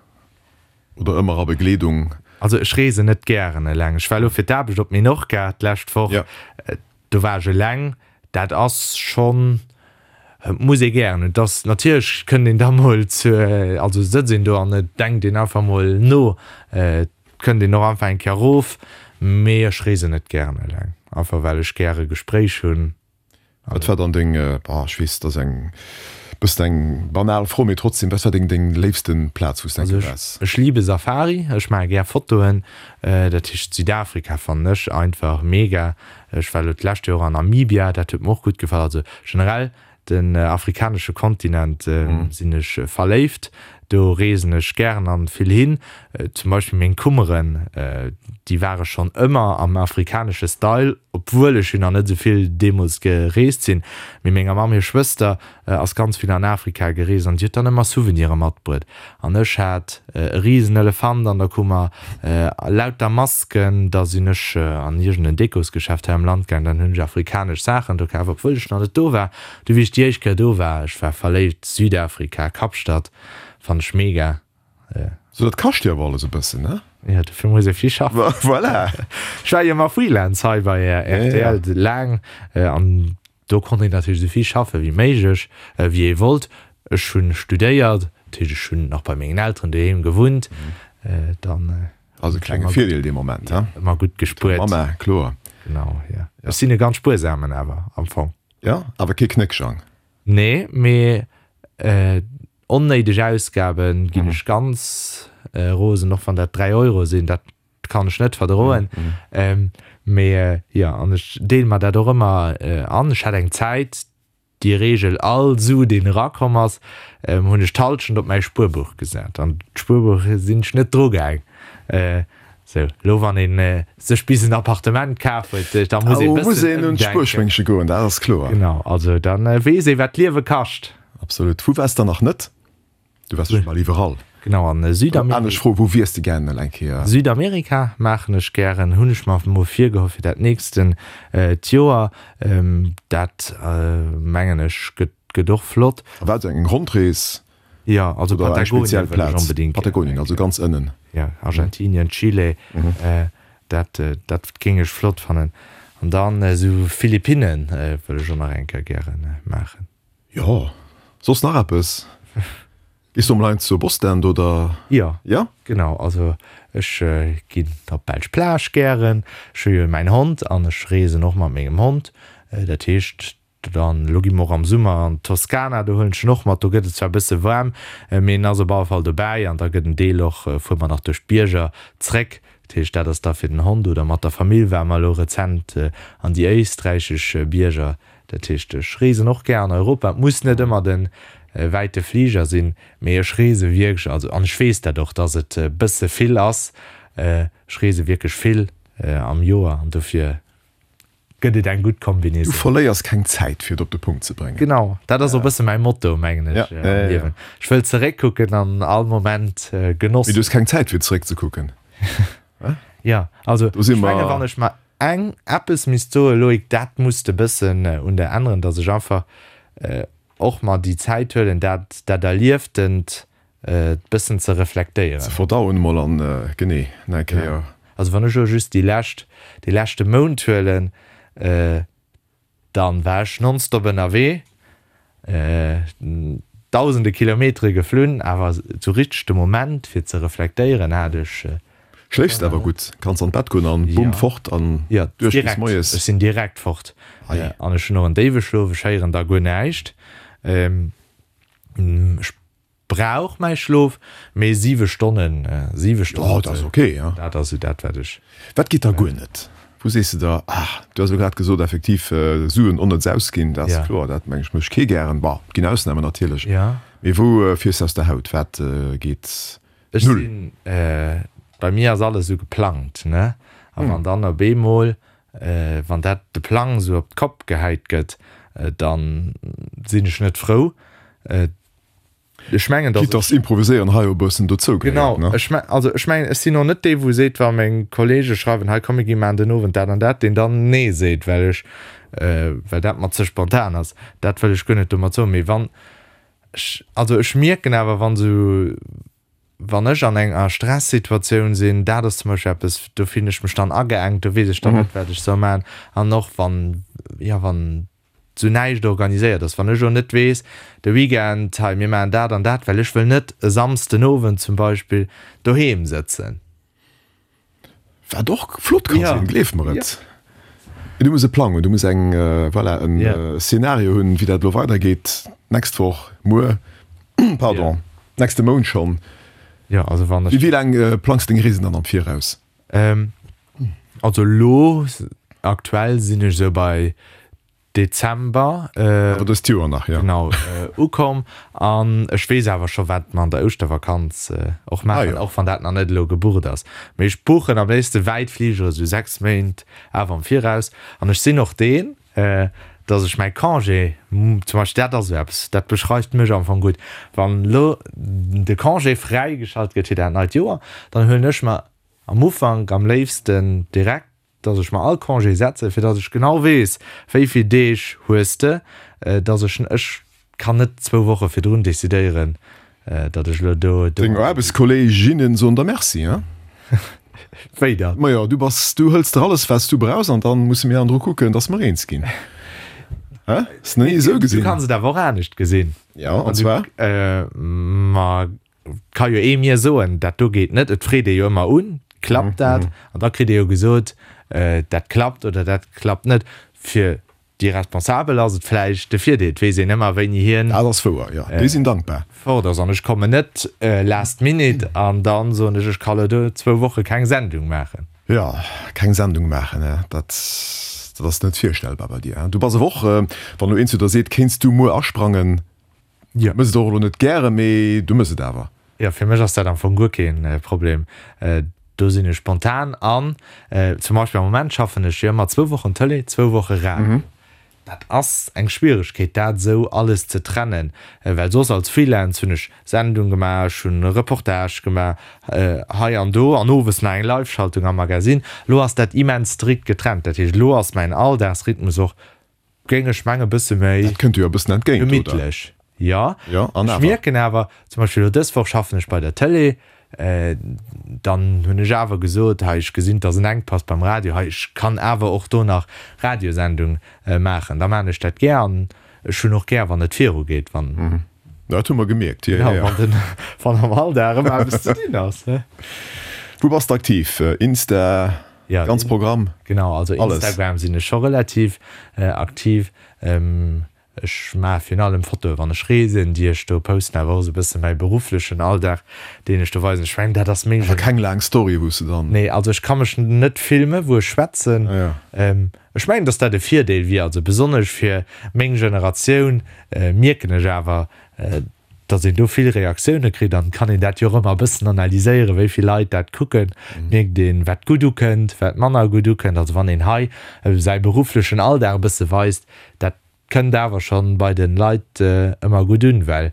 Oder ëmmer a Begleedung? Also ech reesen net gären eleng. Ech war elo fir d'Aarbecht op Menorca d'lescht Woch. Do war ech eleng. Dat ass schonn, et muss ee gären hunn. Et ass natierlech kënnt een da mol zu, also sëtzt een do an et denkt een einfach mol no. Et kënnt een och einfach eng Kéier erof. Mee ech reesen net gären eleng, einfach well ech gäre Gespréich hunn. Wat war dann deng, boah, ech weess, dat ass eng bëssen eng banal Fro, mee trotzdem, wat war deng deng léifsten Plaz, wou s de eng Also Kéier ech, waars? ech liebe Safari, ech maache gär Fotoen, dat heescht Südafrika fannen ech einfach mega. Ech war elo d'lescht Joer an Namibia, dat huet mer och gutt gefall. Also generell den afrikanesche Kontinent sinn ech verléift, do reesen ech gären an vill hin. Zum Beispill meng Kummeren, déi ware schonn ëmmer am afrikanesche Style, obwuel ech jo nach net esou vill deemools gereest sinn. Mee menger Mamm hir Schwëster ass ganz vill an Afrika gereest an déi huet dann ëmmer Souvenire matbruet. An ech hat e risen Elefant an der Kummer, lauter Masken. Da sinn ech an iergend en Dekosgeschäft hei am Land gaangen, dann hunn ech afrikanesch Saachen do kaf, obwuel ech nach net do war. Du wéi ech déi éischt Kéier do war, ech war verléift, Südafrika, Kapstadt, fannt ech mega. So dat kascht jo awer alles e bëssen, ne? Jo, dofir muss ee vill schaffen. Voilà! Ech war jo ëmmer Freelance hei bei rtl laang an do konnt een natierlech esou vill schaffe wéi méiglech, wéi ee wollt. Ech hunn studéiert, dat heescht ech hunn nach bei mengen Elteren doheem gewunnt, dann. Ass e klenge Virdeel dee Moment, he? Ëmmer gutt gespuert. Mamma, kloer. Genau, jo. Ech sinn e ganz spuersamen awer am Fong. Jo, awer kee Knéckjang. Nee, mee onnéideg Ausgaben ginn ech ganz rosen, och wann dat 3 Euro sinn, dat kann ech net verdroen. Mee jo, an ech deele mer dat och ëmmer an. Ech hat eng Zäit, déi Reegel, all Su deen erakomm ass, hunn ech d'Hallschent op mäi Spuerbuch gesat. An d'Spuerbuch sinn ech net drugaang. Sou, elo wann een sech bis en Appartement kaf huet, da muss ee bëssen muss een un ëmdenken. d'Spuerschwéngche goen, dat ass kloer. Genau, also dann weess ee wat d'Liewe kascht. Absolut. Wou waars de nach net? Du waars scho bal iwwerall. Genau, an Südamerika. Anescht Fro, wou wiers de gären elo eng Kéier? Südamerika maachen ech gären, hunn ech mer mol virgeholl fir dat nächsten d'Joer. Dat mengen ech gëtt och flott. A wat, eng Rondrees? Jo, also Oder eng Patagonien speziell wëll ech Plaz? onbedingt gären Patagonien, eng also Kéier. ganz ënnen. Jo, Argentinien, Chile, dat, dat géing ech flott fannen. An dann esou Philippinnen wëll ech och nach eng Kéier gäre maachen. Jo, soss nach eppes? Gees du emol hei zur Bosstand oder? Jo, Jo? genau. Also ech ginn op d'belsch Plage gären. Ech hu jo mäin Hond an ech reesen och mat mengem Hond. Dat heescht, Dann, elo gi mer och am Summer an d'Toskana, do huelen ech en och mat. Do gëtt et zwar e bësse waarm, mee en ass op alle Fall dobäi an da gëtt en Deel och, fuere mer nach duerch d'Bierger zréck. Dat heescht, dat ass da fir den Hond oder mat der Famill ware mer elo rezent an déi éisträichesch Bierger. Dat heescht, ech reesen och gär an Europa. Et muss net ëmmer de wäite Fliger sinn, mee ech reese wierklech, also an ech weess dat och, dass et e bësse vill ass, ech reese wierklech vill am Joer an dofir. Gëtt et eng gutt Kombinaison. Du verléiers keng Zäit, fir et op de Punkt ze bréngen. Genau, dat ass och e bësse mäi Motto, mengen ech, am Liewen. Ech wëll zeréckkucken an all Moment genossen. Mee du hues keng Zäit, fir zeréckzekucken. Jo, also ech mengen, wann ech mer eng eppes misst soen, Loïc, dat muss de bëssen un der änneren, datt ech einfach och mer déi Zäit huelen, dat dat Erlieftent bëssen ze reflektéieren. Ze verdauen emol an genee nach eng Kéier. Also wann ech elo just déi lescht, dee leschte Mount huelen, dann war ech nonstop ënnerwee, dausende Kilometere geflunn, awer esou richteg de Moment fir ze reflektéieren hat ech. Schléifs de awer gutt? Kanns an d'Bett goen an bumm fort an duerch bis moies? Ech sinn direkt fort an ech hunn och en déiwe Schlof, ech héieren da guer näischt. Ech Brauch mäi Schlof, mee 7 Stonnen, 7 Stonnen. Jo, dat ass ok, ja. Dat ass esou dat, wat ech. Wat geet da guer net? Wou sees de da, ah, du has elo grad gesot, effektiv, Suen onnëtz ausginn, dat ass kloer, dat meng ech mécht kee gären. Bon, et ginn Ausnamen natierlech. Mee wou fiers de aus der Haut? Wat geet Ech null? Sinn, bei mir ass alles esou geplangt, ne? A wann dann op eemol, wann dat de Plang esou op d'Kopp gehäit gëtt, dann sinn ech net frou. Ech mengen, dass Quitte dass Improviséieren hei e bëssen dozou gehéiert, ne? Genau, ech mengen, also ech mengen, ech sinn och net dee wou seet, wa meng Kollege schreiwen, hei komm mir gi maachen den Owend dat an dat, deen dann nee seet, well ech, well dat mer ze spontan ass. Dat wëll ech guer net domat soen. Mee wann ech, also ech mierken awer, wann esou, wann ech an enger Stressituatioun sinn, dat ass zum Beispill eppes, do fillen ech mech dann ageengt, do weess ech dann net, wat ech soll maachen. An och wann, jo, wann sou näischt organiséiert ass, wann ech elo net weess, de Weekend, hei mir maachen dat an dat, well ech wëll net e Samsden Owend zum Beispill doheem sëtzen. Wat och flott ka sinn, gleef mer et. Du muss e Plang hunn, du muss eng, voilà, en Szenario hunn, wéi dat elo weidergeet, d'nächst Woch, muer, pardon, nächste Mount schonn. Jo, also wann ech. Wéi laang plangs de deng Reesen dann am Viraus? Also elo aktuell sinn ech esou bei Dezember. Awer dëst Joer nach, jo. Genau, ukomm. An ech weess awer scho wat mer an der Ouschtervakanz och maachen, och wann dat nach net elo gebucht ass. Mee ech buchen am léifste wäit Fligere sou 6 Méint awer am Viraus. An ech sinn och deen, dass ech mäi Congé, zum Beispill dat ass esou eppes, dat beschreift mech am Fong gutt, wann elo de Congé fräigeschalt gëtt fir dat neit Joer, dann huelen ech mer am Ufank am léifsten direkt, dass ech mer all Congé setzen, fir dass ech genau weess, wéi vill Deeg hues de, dass ech, ech kann net zwou Woche virdrun decidéieren, datt ech elo do. Deng Aarbechtskolleeginnen soen der Merci, hein? Wéi dann? Majo, du bass, du hëls der alles, wat s du brauchs, an dann musse mir andru kucken, dass mer eens ginn. Hein? Ass nach ni esou gesinn. Du kanns et awer och anescht gesinn. Jo, an zwar? Ma et ka jo ee mir soen, dat do geet net. Et freet ee jo ëmmer un, klappt dat? An da kritt ee jo gesot, dat klappt oder dat klappt net. Fir Déi Responsabel ass et vläicht de Virdeel, et weess een ëmmer wéini hien. Dat ass wouer, jo, déi sinn dankbar. Fort ass an ech kommen net last minute an dann soen ech, ech ka lo do zwou Woche keng Sendung maachen. Jo, keng Sendung maachen, dat dat ass net virstellbar bei dir. Du bass awer och, wann elo een zu der seet, kéints du muer asprangen, Jo. Mëss et och elo net gären, mee du mëss et awer. Jo, fir mech ass dat am Fong guer kee Problem. Do sinn ech spontan an zum Beispill am Moment schaffen ech jo ëmmer zwou Wochen Tëlee, zwou Woche Radio. Dat ass eng Schwieregkeet, dat esou alles ze trennen, well soss als Freelance hunn ech Sendung gemaach, ech hunn Reportage gemaach hei an do an owes nach eng Live-Schaltung am Magasinn. Elo ass dat immens strikt getrennt. Dat heescht, elo ass mäin Alldagsrhythmus och géing ech mengen, e bësse méi. Dat kënnt dir jo e bëssen entgéint, oder? Gemittlech, jo. Jo, an awer. Ech mierken awer, zum Beispill elo dës Woch schaffen ech bei der Tëlee, dann hunn ech awer gesot, hei, ech gesinn, et ass en Enkpass beim Radio, hei, ech kann awer och do nach Radiosendung maachen, da maachen ech dat gär an ech hunn och gär, wann et virugeet, wann. Dat hu mer gemierkt, jo, jo. Wann den, wann am Alldag ëmmer eppes ze dinn ass, ne? Wou bass de aktiv? Insta? Ja, ganz Programm. Genau, also alles. Instagram sinn ech scho relativ aktiv. Ech maache virun allem Fotoe wann ech reesen, déi ech do posten, awer och esou e bësse mäi berufflechen Alldag, deen ech do weisen. Ech mengen, dat ass meng. Awer keng laang Story, wou s de dann. Nee, also ech ka mech net filme wou ech schwätzen. Ah, ja. Ech mengen, datt dat e Virdeel wier, also besonnesch fir meng Generatioun mierken ech awer. Datt een do vill Reaktioune kritt an et kann een dat jo och ëmmer e bëssen analyséieren, wéi vill Leit dat kucken, mierkt een, wat gutt ukënnt, wat manner gutt ukënnt. Also wann een hei säi berufflechen Alldag e bësse weist, dat kënnt awer schonn bei de Leit ëmmer gutt un, well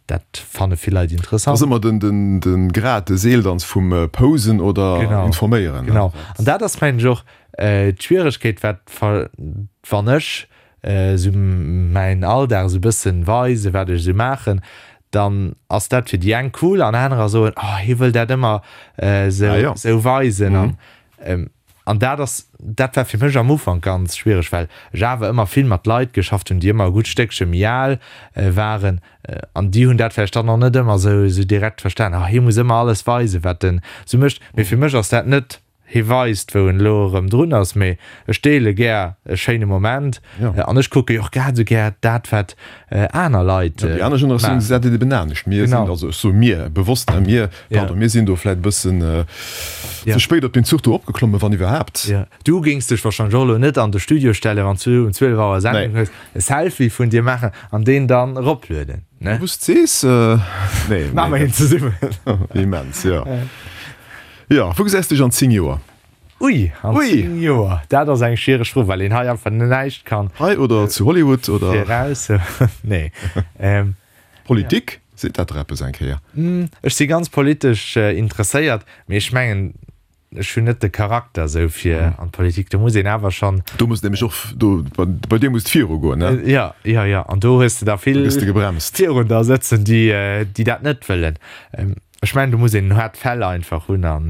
dat fanne vill Leit interessant. Ass ëmmer de Grad, de Seeldanz vum Posen oder Informéieren. Genau, an dat ass mengen ech och d'Schwieregkeet, wat wann ech esou mäin Alldag esou bëssen weisen, wat ech esou maachen, dann ass dat fir déi eng cool an anerer soen, oh hie wëll dat ëmmer esou esou weisen an an dat ass, dat war fir mech am Ufank ganz schwiereg, well ech awer ëmmer vill mat Leit geschafft hunn, déi ëmmer e gutt Stéckche méi al waren an déi hunn dat vläicht dann och net ëmmer esou esou direkt verstan, oh hie muss ëmmer alles weisen, wat en esou mécht, mee fir mech ass dat net Hie weist, wou en elo erëm drun ass, mee ech deele gär e schéine Moment an ech kucke jo och grad esou gär dat, wat aner Leit maachen. Déi aner Generatioun gesäit et eben anescht. Mir sinn, also ech soe mir bewosst, ne, mir, pardon, mir sinn do vläicht e bëssen ze spéit op deen Zuch do opgeklommen, wann iwwerhaapt. Du géings dech warscheinlech och elo net an de Studio stellen, wann s du um 12 Auer Sendung hues, e Selfie vun dir maachen an deen dann eroplueden, ne? Wou s de sees, nee. Maache mer een zesummen. Immens, jo. Jo, wou gesäis dech an 10 Joer? Ui, an 10 Joer, dat ass eng schwiereg Fro, well een hei einfach näischt kann. Hei oder zu Hollywood oder? Viraus, nee. Politik, seet dat der eppes eng Kéier? Ech si ganz politesch interesséiert, mee ech mengen, ech hunn net de Charakter esou fir an d'Politik. Do muss een awer schonn. Do muss nämlech och, do, bei dir muss et virugoen, ne? Jo, jo, jo, an do hues de der vill virun der sëtzen, déi, déi dat net wëllen. Ech mengen do muss een en haart Fell einfach hunn an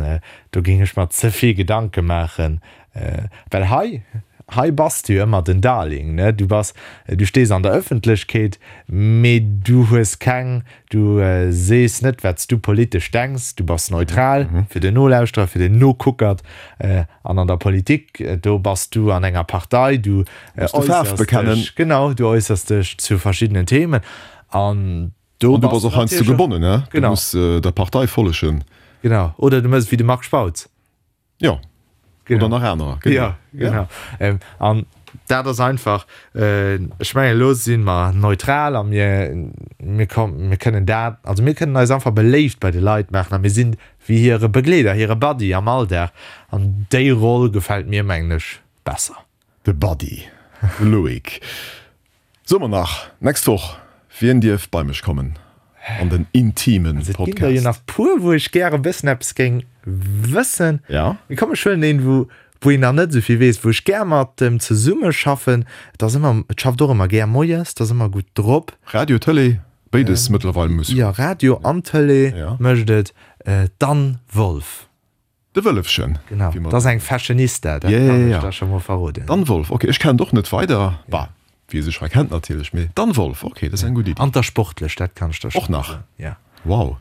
do géing ech mer ze vill Gedanke maachen, well hei, hei bass du jo ëmmer den Darling, ne, du bass, du stees an der Ëffentlechkeet, mee du hues keng, du sees net wat s du politesch denks, du bass neutral fir den Nolauschterer, fir den Nokuckert an an der Politik, do bass du an enger Partei, du äussers dech, genau, du äussers dech zu verschiddenen Themen an Do An du bass och heiansdo gebonnen, ne? Du muss der Partei follegen. Genau. Oder du mëss et wéi de Marc Spautz. Jo. Oder nach anerer. Jo, genau. An dat ass einfach, ech mengen, elo si mer neutral a mir, mir mir kënnen dat, also mir kënnen eis einfach beléift bei de Leit maachen a mir sinn wéi hire Begleeder, hire Buddy am Alldag. An déi Roll gefält mir, mengen ech, besser. De Buddy, de Loïc. Soe mer nach, nächst Woch, wien dierf bei mech kommen an den intimen Podcast? Also et ginn der jo nach puer, wou ech gäre bëssen eppes géing wëssen. Ja. Mee komm, ech huelen een, wou wou een nach net esou vill weess, wou ech gär mat em zesummeschaffen. Et ass ëmmer, et schafft och ëmmer gär moies, et ass ëmmer gutt drop. Radio, Tëlee, béides mëttlerweil muss. Jo, Radio an Tëlee mécht et. D'Anne Wolff. De Wëllefchen. Genau, dat ass eng Fashionista, dat kann ech der scho mol verroden. D'Anne Wolff, ok, ech kennen et och net weider, bah, wie sech hei kennt natierlech, mee d'Anne Wolff, ok, dat ass eng gutt Iddi. An der sportlech, dat kann ech der scho mol soen. Och nach? Ja. Wow.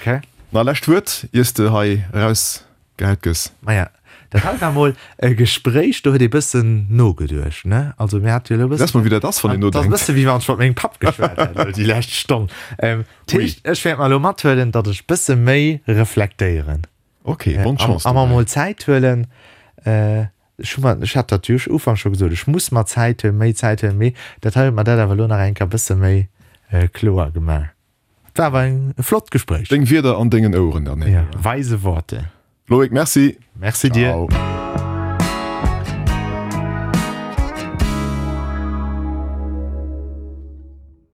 Ok. Na, lescht Wuert, iers de hei erausgehäit gëss. Maja, dat hei war mol e Gespréich, do huet ee bëssen nogeduecht, ne? Also mir hate jo elo e bëssen. Lass mol, wéi dat ass, wann een nodenkt. Dat ass e bësse wéi wann ech mat mengem Papp geschwat hätt elo déi lescht Stonn. Dat heescht, ech wäert mer elo mathuelen, datt ech bësse méi reflektéieren. Ok, bonne Chance A mer mol Zäit huelen. Ech hu mer, ech hat dat jo Ufank scho gesot, ech muss mer Zäit huelen, méi Zäit huelen, mee dat hei huet mer dat awer elo nach eng Kéier bësse méi kloer gemaach. Et war awer e flott Gespréich. Deng Wierder an dengen Oueren dann. Ja, weise Worte. Loïc, merci. Merci dir. Ciao.